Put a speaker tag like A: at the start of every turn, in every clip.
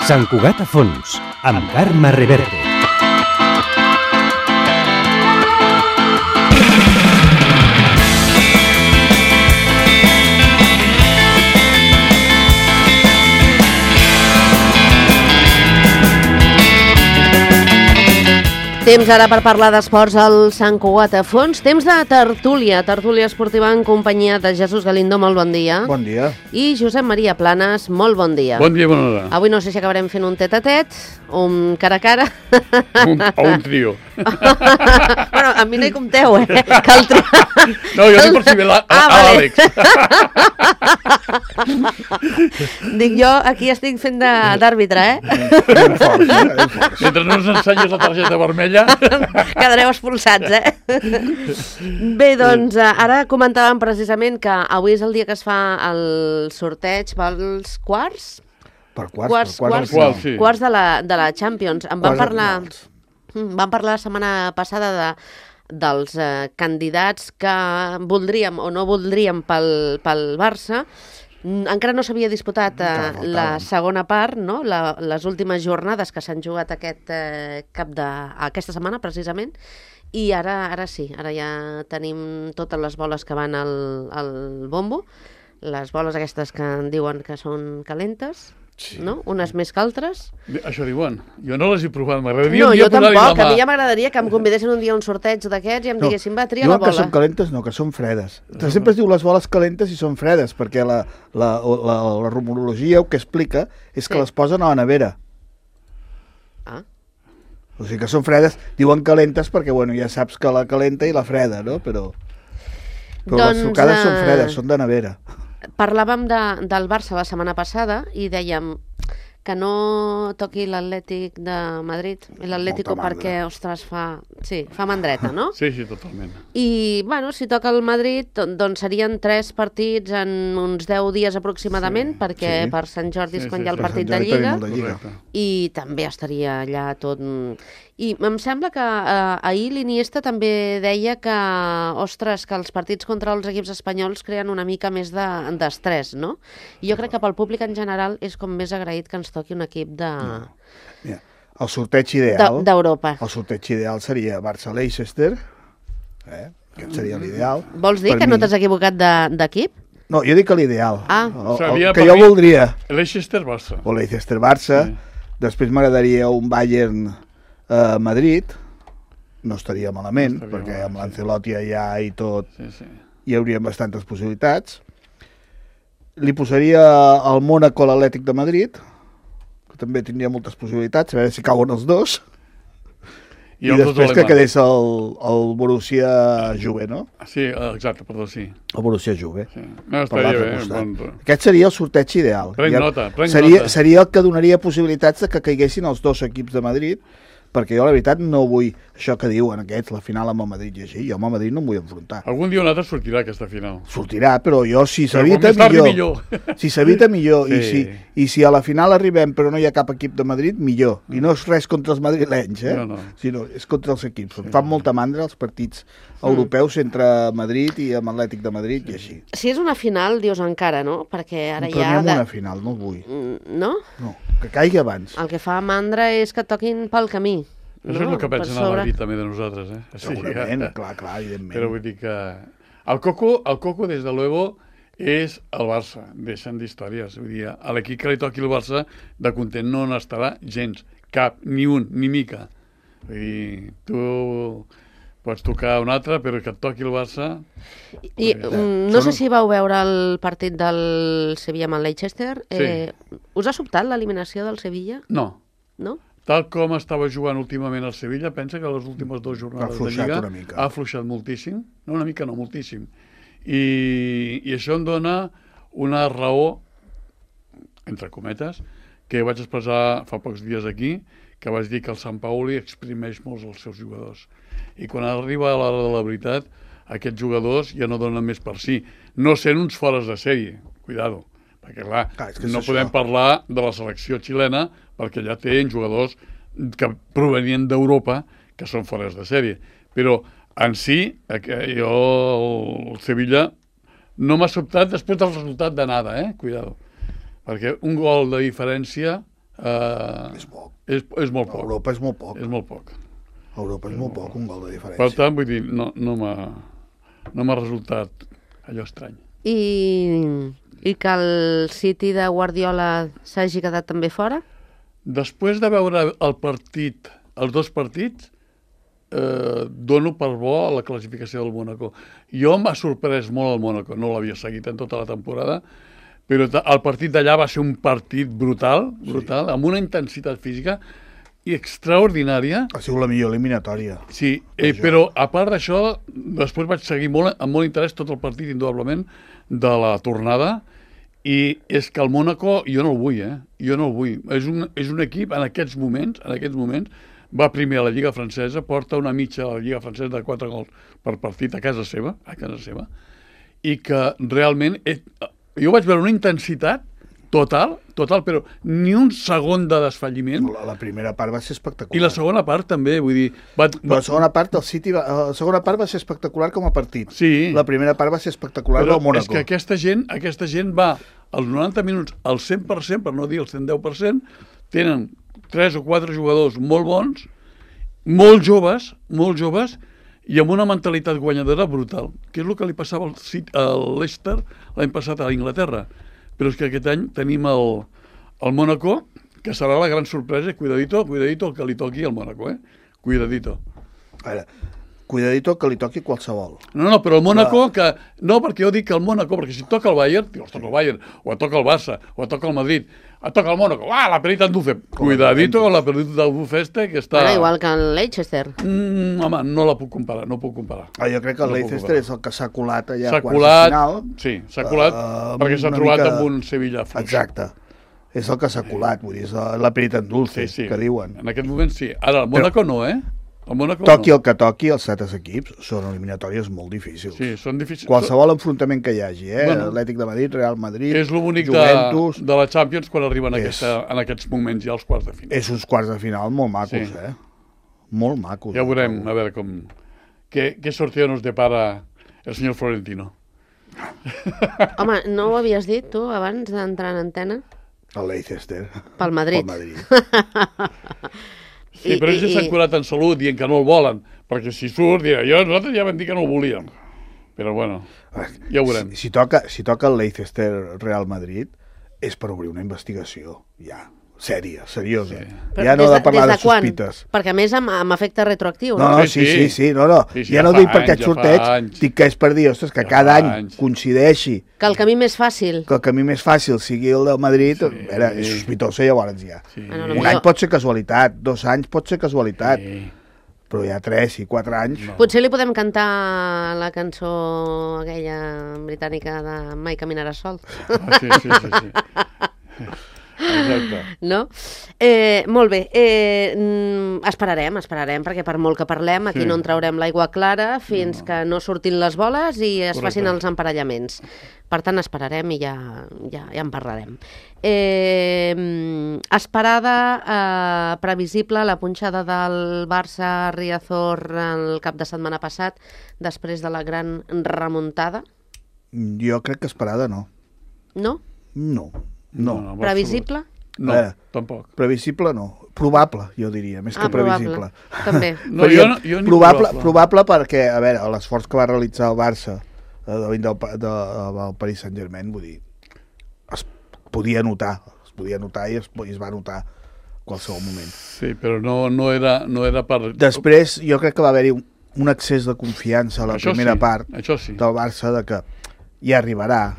A: Sant Cugat a fons, amb Carme Reverte.
B: Temps ara per parlar d'esports al Sant Cugat a fons. Temps de tertúlia esportiva en companyia de Jesús Galindo, molt bon dia.
C: Bon dia.
B: I Josep Maria Planes, molt bon dia.
D: Bon dia, bona hora.
B: Avui no sé si acabarem fent un tet-a-tet, un cara a cara.
D: O un trio.
B: Bueno, a mi no hi compteu, que el trio...
D: No, jo dic per si ve l'Àlex.
B: Dic jo, aquí estic fent d'àrbitre,
D: Mentre no ens ensenyes la targeta vermella...
B: Quedareu expulsats, Bé, doncs, ara comentàvem precisament que avui és el dia que es fa el sorteig pels quarts?
C: Quarts
B: de la Champions. Vam parlar la setmana passada dels candidats que voldríem o no voldríem pel Barça. Encara no s'havia disputat la segona part, no? Les últimes jornades que s'han jugat aquesta setmana, precisament, i ara sí, ara ja tenim totes les boles que van al bombo, les boles aquestes que en diuen que són calentes, sí. No? Unes més que altres.
D: Això diuen. Jo no les he provat, m'agradaria...
B: No, jo tampoc, a mi ja m'agradaria que em convidessin un dia a un sorteig d'aquests i em diguessin, va, tria la bola.
C: Diuen que són calentes, no, que són fredes. Sempre es diu les boles calentes i són fredes, perquè la rumorologia que explica és que les posen a la nevera.
B: Ah.
C: O sigui que són fredes, diuen calentes perquè, bueno, ja saps que la calenta i la freda, no? Però les trucades són fredes, són de nevera.
B: Parlàvem del Barça la setmana passada i dèiem que no toqui l'Atlètic de Madrid, l'Atlético, perquè, ostres, fa mandreta, no?
D: Sí, totalment.
B: I, bueno, si toca el Madrid, doncs serien 3 partits en uns 10 dies aproximadament, perquè per Sant Jordi és quan hi ha el partit de Lliga, i també estaria allà tot... I em sembla que ahir l'Iniesta també deia que, ostres, que els partits contra els equips espanyols creen una mica més d'estrès, no? I jo crec que pel públic en general és com més agraït que ens toqui un equip de...
C: Mira, el sorteig ideal...
B: D'Europa.
C: El sorteig ideal seria Barça-Leicester, aquest seria l'ideal.
B: Vols dir que no t'has equivocat d'equip?
C: No, jo dic que l'ideal.
B: El
C: que jo voldria.
D: Leicester-Barça.
C: O Leicester-Barça. Després m'agradaria un Bayern... Madrid no estaria malament, perquè amb l'Ancelotti allà i tot hi haurien bastantes possibilitats. Li posaria al Mónaco l'Atlètic de Madrid, que també tindria moltes possibilitats, a veure si cauen els dos. I després que quedés el Borussia Juve, no?
D: Sí, exacte, perdó, sí.
C: El Borussia Juve.
D: Sí. No, estaria bé.
C: Aquest seria el sorteig ideal.
D: Prenc nota.
C: Seria el que donaria possibilitats de que caiguessin els dos equips de Madrid, perquè jo la veritat no vull això que diuen aquests, la final amb el Madrid i així, jo amb el Madrid no em vull enfrontar.
D: Algun dia o un altre sortirà aquesta final.
C: Sortirà, però jo si s'evita millor. Si s'evita millor, i si a la final arribem però no hi ha cap equip de Madrid, millor. I no és res contra els madrilenys, sinó és contra els equips. Em fan molta mandra els partits europeus entre Madrid i amb Atlètic de Madrid i així.
B: Si és una final, dius encara, no? Perquè ara
C: ja... Però una final, no el vull.
B: No?
C: No, que caigui abans.
B: El que fa mandra és que toquin pel camí.
D: Això és el que pensen a Madrid també de nosaltres,
C: Segurament, clar, evidentment.
D: Però vull dir que... El Coco, des de luego, és el Barça, deixen d'històries. Vull dir, a l'equip que li toqui el Barça, de content no n'estarà gens, cap, ni un, ni mica. Vull dir, tu pots tocar un altre, però que et toqui el Barça...
B: I no sé si vau veure el partit del Sevilla amb el Leicester. Us ha sobtat l'eliminació del Sevilla?
D: No.
B: No?
D: Tal com estava jugant últimament el Sevilla, pensa que les últimes 2 jornades de Lliga ha afluixat moltíssim. No, una mica no, moltíssim. I això em dona una raó, entre cometes, que vaig expressar fa pocs dies aquí, que vaig dir que el Sant Pauli exprimeix molts els seus jugadors. I quan arriba a l'hora de la veritat, aquests jugadors ja no donen més per si. No sent uns fores de sèrie, cuidado. Perquè, clar, no podem parlar de la selecció xilena perquè ja tenen jugadors que provenien d'Europa que són fores de sèrie. Però en si, jo, el Sevilla, no m'ha sobtat després del resultat de nada, cuidado. Perquè un gol de diferència
C: És poc.
D: És molt poc.
C: Europa és molt poc.
D: És molt poc.
C: Europa és molt poc, un gol de diferència.
D: Per tant, vull dir, no m'ha resultat allò estrany.
B: I que el City de Guardiola s'hagi quedat també fora?
D: Després de veure els dos partits, dono per bo la classificació del Mónaco. Jo m'ha sorprès molt el Mónaco, no l'havia seguit en tota la temporada, però el partit d'allà va ser un partit brutal, amb una intensitat física extraordinària.
C: Ha sigut la millor eliminatòria.
D: Sí, però a part d'això, després vaig seguir amb molt interès tot el partit, indudablement, de la tornada, i és que el Mónaco jo no el vull, jo no el vull. És un equip en aquests moments, va primer a la Lliga Francesa, porta una mitja a la Lliga Francesa de 4 gols per partit a casa seva, i que realment jo vaig veure una intensitat total, però ni un segon de desfalliment.
C: La primera part va ser espectacular.
D: I la segona part també, vull dir...
C: La segona part del City la segona part va ser espectacular com a partit.
D: Sí.
C: La primera part va ser espectacular del Mónaco.
D: És que aquesta gent va als 90 minuts al 100%, per no dir el 110%, tenen 3 o 4 jugadors molt bons, molt joves, i amb una mentalitat guanyadora brutal, que és el que li passava al Leicester l'any passat a Inglaterra. Però és que aquest any tenim el Mónaco, que serà la gran sorpresa. Cuidadito el que li toqui al Mónaco, Cuidadito.
C: Ara, cuidadito que li toqui qualsevol.
D: No, però el Mónaco, no, perquè jo dic que el Mónaco, perquè si toca el Bayern, toca el Bayern, o toca el Barça, o toca el Madrid, toca el Mónaco, la perita en Duffe. Cuidadito con la perita del Duffe que està...
B: Igual que el Leicester.
D: Home, no la puc comparar,
C: jo crec que el Leicester és el que s'ha colat allà
D: a quarts de final. Sí, s'ha colat perquè s'ha trobat amb un Sevilla fluix.
C: Exacte. És el que s'ha colat, vull dir, és la perita en Dulce, que diuen.
D: En aquest moment sí. Ara, el Mónaco no,
C: Toqui el que toqui, els 7 equips són eliminatòries molt difícils.
D: Sí, són difícils.
C: Qualsevol enfrontament que hi hagi, Atlètic de Madrid, Real Madrid,
D: és l'únic
C: Juventus...
D: de la Champions quan arriben en aquests moments ja als quarts de final.
C: És uns quarts de final molt macos, Molt macos.
D: Ja veurem, a veure com... Què sorteo nos depara el senyor Florentino.
B: Home, no ho havies dit, tu, abans d'entrar en antena?
C: El Leicester.
B: Pel Madrid.
D: Sí, però ells s'han curat en salut dient que no el volen, perquè si surt, nosaltres ja vam dir que no el volíem. Però bueno, ja ho veurem.
C: Si toca el Leicester Real Madrid, és per obrir una investigació, ja, sèria, seriosa. Sí. Ja no de parlar de sospites.
B: Perquè a més amb efecte retroactiu,
C: no? Sí, no. Ja no dic perquè et sorteig, dic que és per dir, ostres, que cada any coincideixi.
B: Que el camí més fàcil.
C: Que el camí més fàcil sigui el del Madrid, és sospitosa llavors ja. Un any pot ser casualitat, 2 anys pot ser casualitat, però ja 3 i 4 anys...
B: Potser li podem cantar la cançó aquella britànica de Mai caminaràs sol.
D: Sí. Exacte.
B: No? Molt bé. Esperarem, perquè per molt que parlem, aquí no en traurem l'aigua clara fins que no surtin les boles i es facin els emparellaments. Per tant, esperarem i ja en parlarem. Esperada, previsible, la punxada del Barça Riazor el cap de setmana passat, després de la gran remuntada?
C: Jo crec que esperada no.
B: No?
C: No.
B: Previsible?
D: No, tampoc.
C: Previsible no. Probable, jo diria, més que previsible.
B: També.
C: Probable perquè, a veure, l'esforç que va realitzar el Barça del Paris Saint-Germain, vull dir, es podia notar i es va notar en qualsevol moment.
D: Sí, però no era per...
C: Després, jo crec que va haver-hi un excés de confiança a la primera part del Barça de que ja arribarà,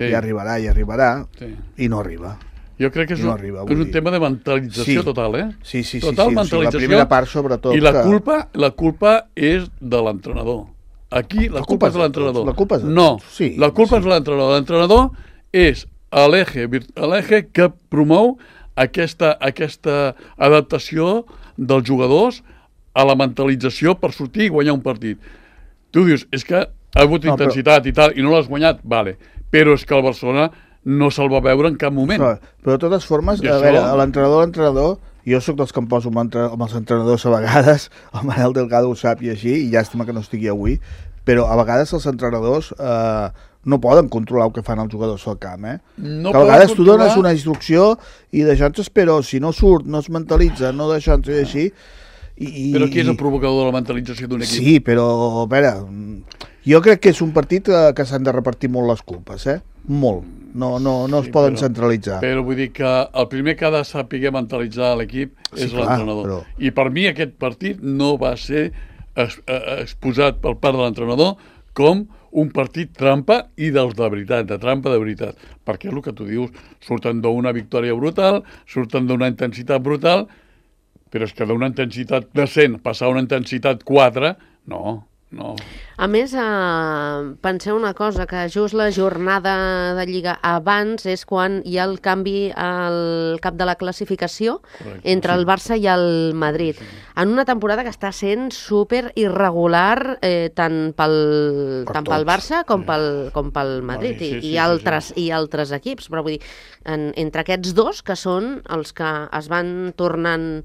C: i no arriba.
D: Jo crec que és un tema de mentalització total,
C: Sí,
D: total mentalització.
C: La primera part, sobretot.
D: I la culpa és de l'entrenador. Aquí la culpa és de l'entrenador.
C: La culpa és de
D: tots. La culpa és de l'entrenador. L'entrenador és l'eje que promou aquesta adaptació dels jugadors a la mentalització per sortir i guanyar un partit. Tu dius, és que ha hagut intensitat i tal, i no l'has guanyat, vale, però és que el Barcelona no se'l va veure en cap moment.
C: Però de totes formes, a veure, l'entrenador, jo sóc dels que em poso amb els entrenadors a vegades, el Manel Delgado ho sap i així, i llàstima que no estigui avui, però a vegades els entrenadors no poden controlar el que fan els jugadors al camp,
D: No
C: que a vegades tu
D: controlar...
C: dones una instrucció i deixant-se, però si no surt, no es mentalitza, no deixant-se així...
D: Però qui és el provocador de la mentalització d'un equip?
C: Sí, però, a veure, jo crec que és un partit que s'han de repartir molt les culpes, molt. No es poden centralitzar.
D: Però vull dir que el primer que ha de saber mentalitzar l'equip és l'entrenador. Però... I per mi aquest partit no va ser exposat per part de l'entrenador com un partit trampa i dels de veritat, de trampa de veritat. Perquè és el que tu dius, surten d'una victòria brutal, surten d'una intensitat brutal, però és que d'una intensitat de 100 passar a una intensitat 4, no.
B: A més, penseu una cosa, que just la jornada de Lliga abans és quan hi ha el canvi al cap de la classificació entre el Barça i el Madrid. En una temporada que està sent super irregular tant pel Barça com pel Madrid i altres equips. Però vull dir, entre aquests dos, que són els que es van tornant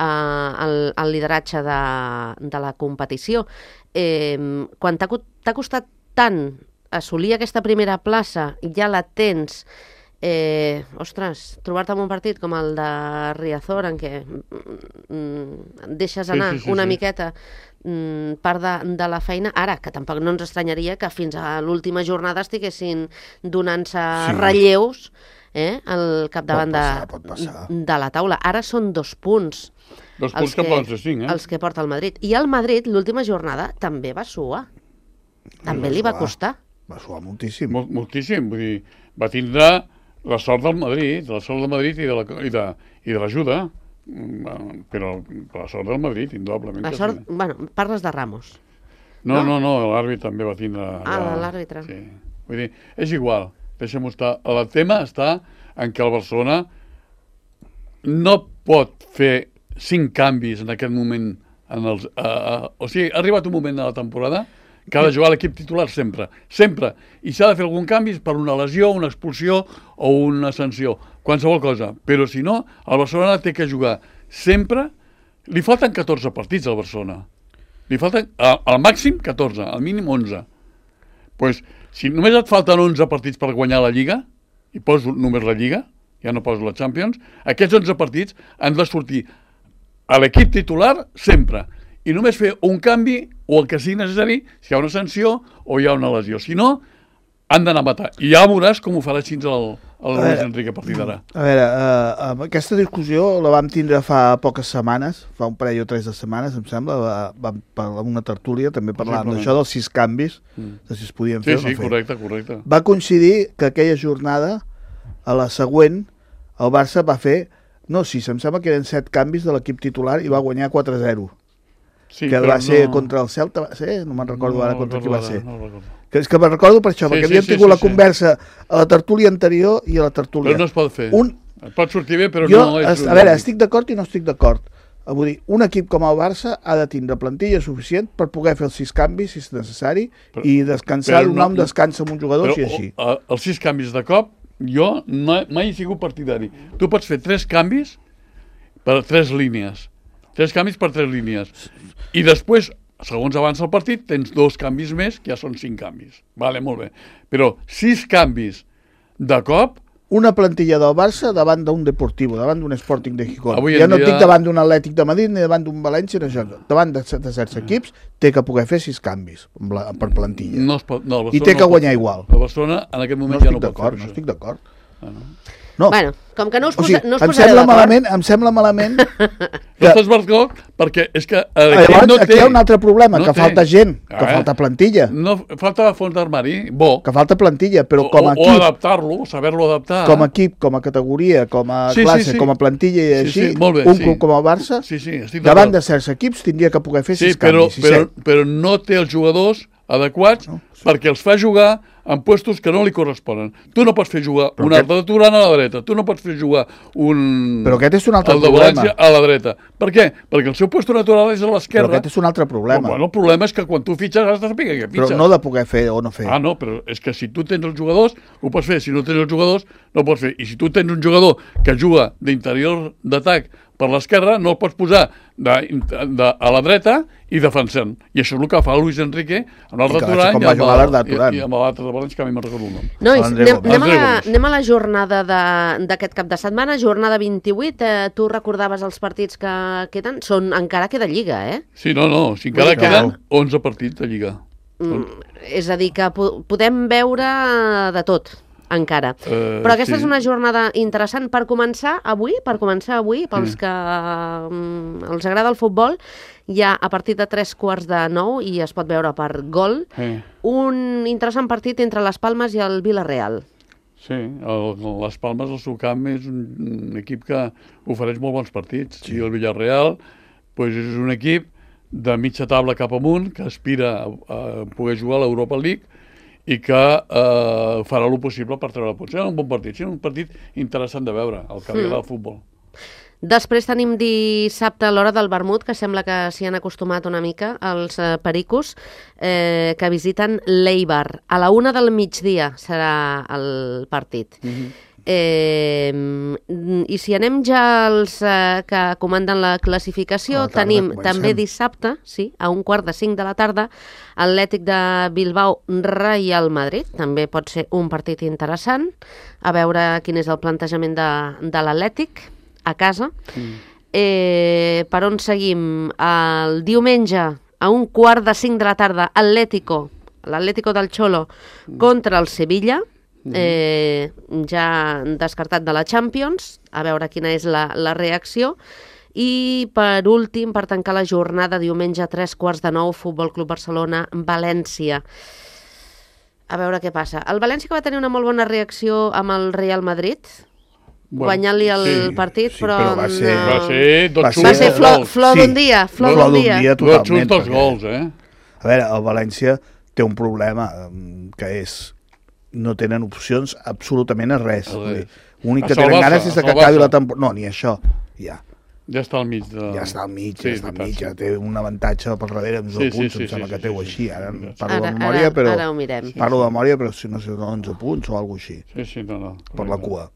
B: el lideratge de la competició, quan t'ha costat tant assolir aquesta primera plaça, ja la tens, trobar-te en un partit com el de Riazor, en què deixes anar una miqueta part de la feina, ara, que tampoc no ens estranyaria que fins a l'última jornada estiguessin donant-se relleus al capdavant de la taula. Ara són 2 punts.
D: 2 punts que poden ser 5,
B: els que porta el Madrid. I el Madrid, l'última jornada, també va suar. També li va costar.
C: Va suar moltíssim.
D: Moltíssim. Vull dir, va tindre la sort del Madrid, i de l'ajuda, però la sort del Madrid, indudablement.
B: La sort, parles de Ramos.
D: No, l'àrbitre també va tindre...
B: l'àrbitre.
D: Sí. Vull dir, és igual, deixem-ho estar. El tema està en què el Barcelona no pot fer 5 canvis en aquest moment. O sigui, ha arribat un moment de la temporada que ha de jugar l'equip titular sempre. I s'ha de fer algun canvi per una lesió, una expulsió o una sanció. Qualsevol cosa. Però si no, el Barcelona té que jugar sempre. Li falten 14 partits al Barcelona. Li falten al màxim 14, al mínim 11. Pues, si només et falten 11 partits per guanyar la Lliga, i poso només la Lliga, ja no poso la Champions, aquests 11 partits han de sortir a l'equip titular sempre. I només fer un canvi o el que sigui necessari si hi ha una sanció o hi ha una lesió. Si no, han d'anar a matar. I ja veuràs com ho farà així el Luis Enrique a partir d'ara.
C: A veure, aquesta discussió la vam tindre fa poques setmanes, fa un parell o 3 de setmanes, em sembla, vam parlar amb una tertúlia, també parlàvem d'això dels 6 canvis, de si es podien fer o no fer.
D: Sí, correcte.
C: Va coincidir que aquella jornada, a la següent, el Barça va fer, em sembla que eren 7 canvis de l'equip titular i va guanyar 4-0. Sí, que va ser contra el Celta, va ser? No me'n recordo ara contra qui va ser. És que me'n recordo per això, perquè havíem tingut la conversa a la tertúlia anterior i a la tertúlia.
D: Però no es pot fer. Pot sortir bé, però no és...
C: A veure, estic d'acord i no estic d'acord. Vull dir, un equip com el Barça ha de tindre plantilla suficient per poder fer els 6 canvis, si és necessari, i descansar, donar un descans amb un jugador, si així.
D: Els 6 canvis de cop, jo mai he sigut partidari. Tu pots fer 3 canvis per 3 línies. 3 canvis per 3 línies. I després, segons avança el partit, tens 2 canvis més, que ja són 5 canvis. Vale, molt bé. Però 6 canvis de cop...
C: Una plantilla del Barça davant d'un Deportivo, davant d'un Sporting de Gijón. Ja no dic davant d'un Atlètic de Madrid ni davant d'un València, davant de certs equips té que poder fer 6 canvis per plantilla. I té que guanyar igual.
D: El Barcelona en aquest moment ja no pot fer això.
C: No estic d'acord.
B: No. Bueno, com que no us posareu
C: d'acord... Em sembla malament...
D: No estàs d'acord perquè és que...
C: Aquí hi ha un altre problema, que falta gent, que falta plantilla.
D: No, falta fons d'armari, bo.
C: Que falta plantilla, però com a equip...
D: O adaptar-lo, saber-lo adaptar.
C: Com a equip, com a categoria, com a classe, com a plantilla i així, un club com el Barça, davant de certs equips tindria que poder fer 6 canvis.
D: Però no té els jugadors adequats perquè els fa jugar en puestos que no li corresponen. Tu no pots fer jugar un altre de Turan a la dreta, tu no pots fer jugar un...
C: Però aquest és un altre
D: problema. El de València a la dreta. Per què? Perquè el seu puesto natural és a l'esquerra.
C: Però aquest és un altre problema.
D: Bueno, el problema és que quan tu fitxes has de saber què fitxes.
C: Però no de poder fer o no fer.
D: No, però és que si tu tens els jugadors, ho pots fer. Si no tens els jugadors, no pots fer. I si tu tens un jugador que juga d'interior d'atac per l'esquerra, no el pots posar a la dreta i defensant. I això és el que fa Luis Enrique amb l'Arda Turan i amb l'altre de València, que a mi me'n recordo el nom.
B: Nois, anem a la jornada d'aquest cap de setmana, jornada 28. Tu recordaves els partits que queden? Encara queda Lliga, eh?
D: Sí, si encara queden 11 partits de Lliga.
B: És a dir, que podem veure de tot, encara. Però aquesta és una jornada interessant per començar avui, pels que els agrada el futbol, ja a partir de 8:45 i es pot veure per Gol, un interessant partit entre les Palmes i el Villarreal.
D: Sí, les Palmes, el seu camp, és un equip que ofereix molt bons partits. I el Villarreal és un equip de mitja taula cap amunt, que aspira a poder jugar a l'Europa League i que farà el possible per treure punts. Serà un bon partit, serà un partit interessant de veure, el que agrada al futbol.
B: Després tenim dissabte a l'hora del vermut, que sembla que s'hi han acostumat una mica, els pericos, que visiten l'Eibar. A la 1 del migdia serà el partit. I si anem ja als que comanden la classificació, tenim també dissabte, a 4:45 de la tarda, Atlètic de Bilbao, Real Madrid. També pot ser un partit interessant, a veure quin és el plantejament de l'Atlètic a casa. Per on seguim? El diumenge, a 4:45 de la tarda, l'Atlético del Cholo contra el Sevilla, ja descartat de la Champions, a veure quina és la reacció. I per últim, per tancar la jornada, diumenge a 8:45, Futbol Club Barcelona, València. A veure què passa. El València, que va tenir una molt bona reacció amb el Real Madrid, guanyant-li el partit, però
D: va ser
B: flor d'un dia.
C: Flor d'un dia totalment.
D: Dos gols,
C: A veure, el València té un problema, que és no tenen opcions absolutament a res. L'únic que tenen ganes és que acabi la temporada. No, ni això, ja.
D: Ja està al mig.
C: Ja està al mig, ja té un avantatge per darrere amb 11 punts, em sembla que té així. Ara parlo de memòria, però...
B: Ara ho mirem.
C: Parlo de memòria, però si no sé, 11 punts o alguna cosa així.
D: Sí, no.
C: Per la cua.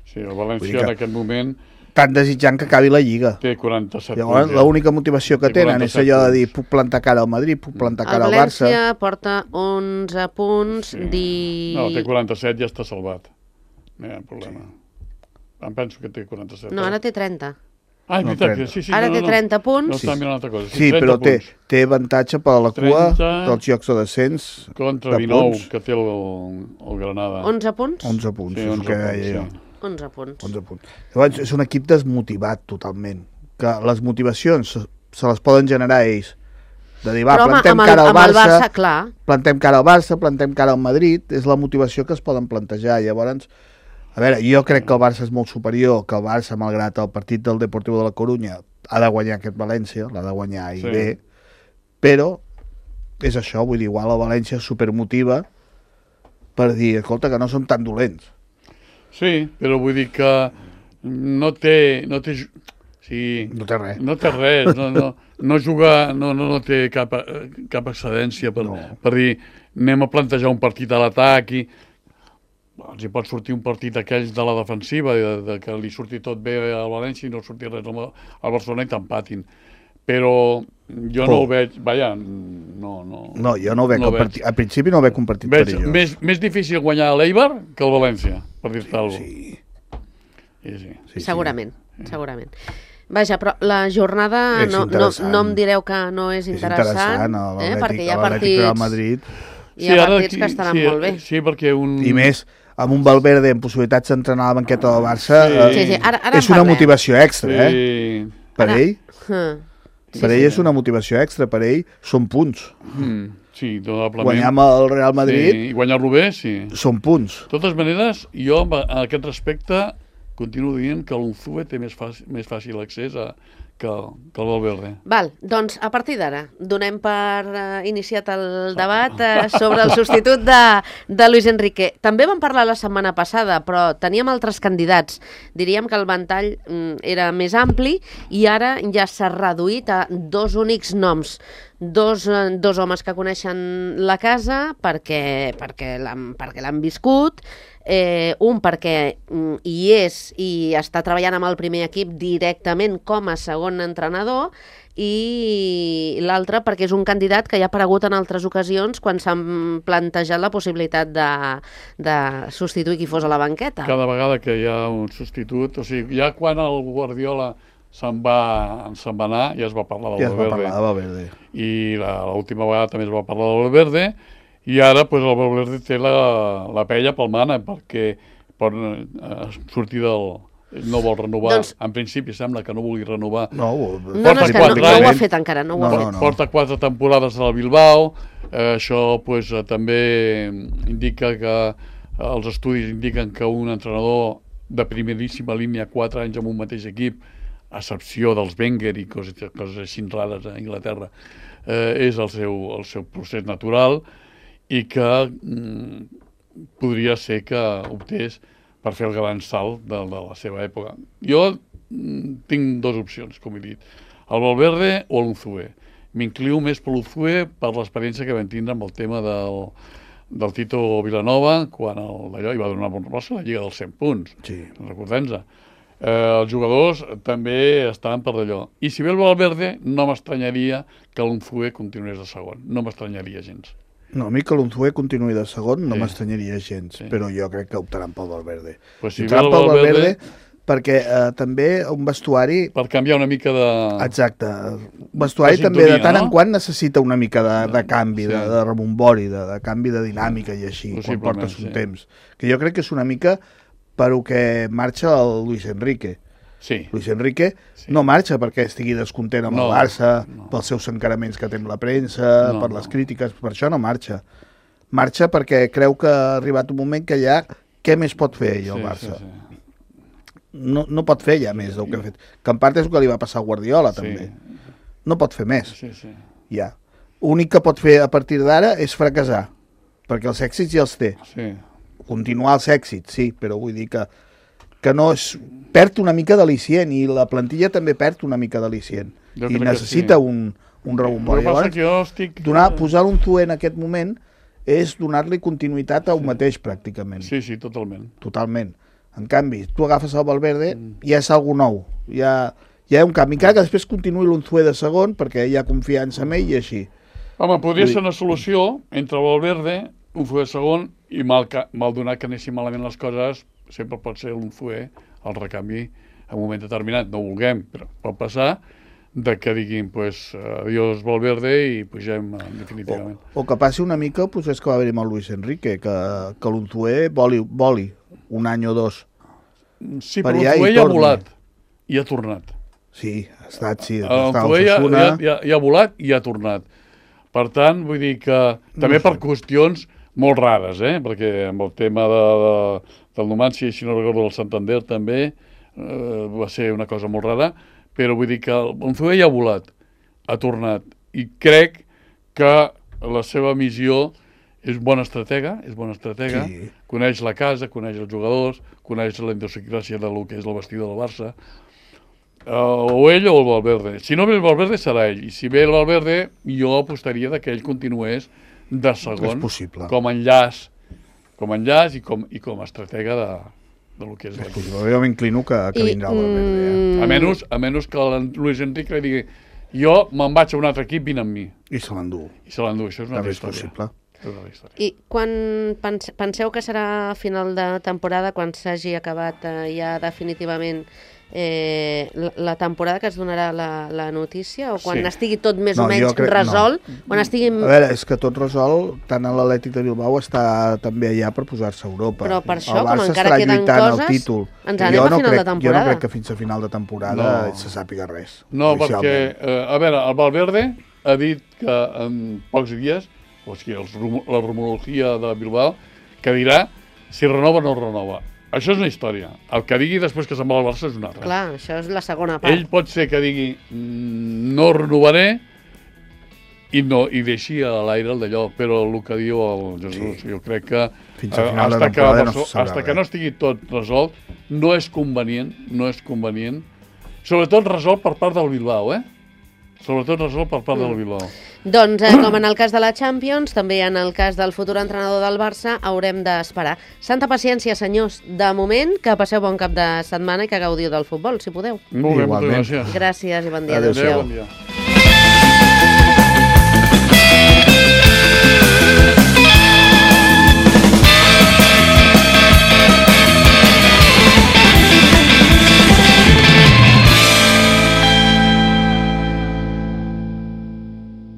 D: Sí, el València en aquest moment...
C: Tan desitjant que acabi la Lliga.
D: Té 47 punts.
C: Llavors, l'única motivació que tenen és allò de dir, puc plantar cara al Madrid, puc plantar cara al Barça...
B: El València porta 11 punts...
D: No, té 47, ja està salvat. No hi ha problema. Em penso que té 47.
B: No, ara té 30.
D: Ah, és veritat, sí.
B: Ara té 30 punts.
D: No està mirant una altra cosa.
C: Sí, però té avantatge per a la cua dels jocs de descens.
D: Contra 19, que té el Granada.
B: 11 punts?
C: 11 punts, és el que deia jo.
B: 11 punts.
C: Llavors, és un equip desmotivat totalment, que les motivacions se les poden generar ells. De dir, plantem cara al Barça, plantem cara al Barça, plantem cara al Madrid, és la motivació que es poden plantejar. Llavors, a veure, jo crec que el Barça és molt superior, que el Barça, malgrat el partit del Deportivo de la Corunya, ha de guanyar aquest València, l'ha de guanyar i bé, però és això, vull dir, igual el València supermotiva per dir, escolta, que no som tan dolents.
D: Sí, però vull dir que no té res. No té res, no juga, no té cap excedència per dir, anem a plantejar un partit a l'atac i els hi pot sortir un partit d'aquells de la defensiva, que li surti tot bé al València i no surti res al Barcelona i t'empatin. Però jo no ho veig, vaja, no.
C: No, jo no ho veig, al principi no ho veig un partit perillós.
D: Més difícil guanyar a l'Eibar que el València, per dir-te alguna
B: cosa. Sí. Segurament. Vaja, però la jornada no em direu que no és interessant, perquè hi ha partits... Hi ha partits que estaran molt bé.
D: Sí, perquè
C: I més, amb un Valverde amb possibilitats d'entrenar a la banqueta del Barça, és una motivació extra, per ell. Per ell és una motivació extra, per ell són punts.
D: Sí, probablement.
C: Guanyar amb el Real Madrid...
D: I guanyar-lo bé, sí.
C: Són punts.
D: De totes maneres, jo a aquest respecte continuo dient que l'Unzue té més fàcil accés que el Valverde.
B: Val, doncs a partir d'ara donem per iniciat el debat sobre el substitut de Luis Enrique. També vam parlar la setmana passada, però teníem altres candidats. Diríem que el ventall era més ampli i ara ja s'ha reduït a dos únics noms. Dos homes que coneixen la casa perquè l'han viscut, un perquè hi és i està treballant amb el primer equip directament com a segon entrenador, i l'altre perquè és un candidat que ja ha aparegut en altres ocasions quan s'han plantejat la possibilitat de substituir qui fos a la banqueta.
D: Cada vegada que hi ha un substitut, o sigui, ja quan el Guardiola se'n va anar, ja es va parlar del Valverde. I l'última vegada també es va parlar del Valverde, i ara pues, el Valverde té la pella pel mana, perquè pot sortir del... No vol renovar, doncs, en principi sembla que no vulgui renovar.
B: No ho ha fet encara, no ho ha fet.
D: Porta 4 temporades al Bilbao, això pues, també indica que els estudis indiquen que un entrenador de primeríssima línia, 4 anys amb un mateix equip, a excepció dels Wenger i coses així rares a Anglaterra, és el seu procés natural i que podria ser que optés per fer el gran salt de la seva època. Jo tinc 2 opcions, com he dit. El Valverde o l'Unzué. M'inclio més per l'Unzué per l'experiència que vam tindre amb el tema del Tito Vilanova, quan allò hi va donar bon rossi a la Lliga dels 100 punts.
C: Sí.
D: Recordem-nos. Els jugadors també estaven per d'allò. I si ve el Valverde, no m'estranyaria que l'Unzué continués de segon. No m'estranyaria gens.
C: No, a mi que l'Unzué continuï de segon no m'estranyaria gens, però jo crec que optaran pel Valverde.
D: Pues si optaran pel Valverde
C: perquè també un vestuari...
D: Per canviar una mica de...
C: Exacte. Un vestuari també de tant en quant necessita una mica de canvi, de rebombori, de canvi de dinàmica i així, quan portes un temps. Que jo crec que és una mica per el que marxa el Luis Enrique.
D: Sí.
C: Luis Enrique no marxa perquè estigui descontent amb el Barça, pels seus encaraments que té amb la premsa, per les crítiques, per això no marxa. Marxa perquè creu que ha arribat un moment que ja, què més pot fer ell el Barça? No pot fer ja més del que ha fet. Que en part és el que li va passar a Guardiola, també. No pot fer més. Ja. L'únic que pot fer a partir d'ara és fracassar, perquè els èxits ja els té. Continuar els èxits, sí, però vull dir que no és... Perd una mica d'al·licient i la plantilla també perd una mica d'al·licient. I necessita un rebombori. Posar l'Unzué en aquest moment és donar-li continuïtat a un mateix, pràcticament.
D: Sí, totalment.
C: Totalment. En canvi, tu agafes el Valverde, ja és algo nou. Ja hi ha un canvi. Encara que després continuï l'Unzué de segon, perquè hi ha confiança en ell i així.
D: Home, podria ser una solució entre el Valverde, Unzué de segon, i mal donat que anessin malament les coses, sempre pot ser l'Unzué el recanvi en un moment determinat. No ho vulguem, però pot passar de que diguin, pues, adiós Valverde i pugem definitivament.
C: O que passi una mica el procés que va haver-hi amb el Luis Enrique, que l'Unzué voli un any o 2.
D: Sí, però l'Unzué ja ha volat i ha tornat.
C: Sí, ha estat, sí.
D: L'Unzué ja ha volat i ha tornat. Per tant, vull dir que també per qüestions molt rares, perquè amb el tema del Numancia, si no recordo del Santander també, va ser una cosa molt rara, però vull dir que l'Unzué ja ha volat, ha tornat, i crec que la seva missió és bona estratega, coneix la casa, coneix els jugadors, coneix la idiosincràsia del que és el vestidor del Barça, o ell o el Valverde. Si no ve el Valverde serà ell, i si ve el Valverde jo apostaria que ell continués de segon com a enllaç i com a estratega del que és l'equip.
C: Jo m'inclino que vindrà el Valverde.
D: A menys que el Luis Enrique li digui jo me'n vaig a un altre equip, vine amb mi.
C: I se l'endú.
D: Això és una altra història.
B: I quan penseu que serà a final de temporada, quan s'hagi acabat ja definitivament la temporada, que es donarà la notícia, o quan estigui tot més o menys resolt? Quan estigui...
C: A veure, és que tot resolt, tant l'Atlètic de Bilbao està també allà per posar-se a Europa.
B: Però per això, com encara queden coses, ens anem a final de temporada.
C: Jo no crec que fins a final de temporada se sàpiga res.
D: No, perquè, a veure, el Valverde ha dit que en pocs dies, o sigui, la rumorologia de Bilbao, que dirà si renova o no renova. Això és una història. El que digui després que se'n va al Barça és una altra.
B: Clar, això és la segona part.
D: Ell pot ser que digui no renovaré i deixi a l'aire el d'allò, però el que diu el Jesús, jo crec que fins que no estigui tot resolt, no és convenient, sobretot resolt per part del Bilbao, Sobretot resolt per part del Bilbao.
B: Doncs, com en el cas de la Champions, també en el cas del futur entrenador del Barça, haurem d'esperar. Santa paciència, senyors. De moment, que passeu bon cap de setmana i que gaudiu del futbol, si podeu.
D: Molt bé, moltes gràcies.
B: Gràcies i bon dia.
C: Adéu-siau.
D: Bon dia.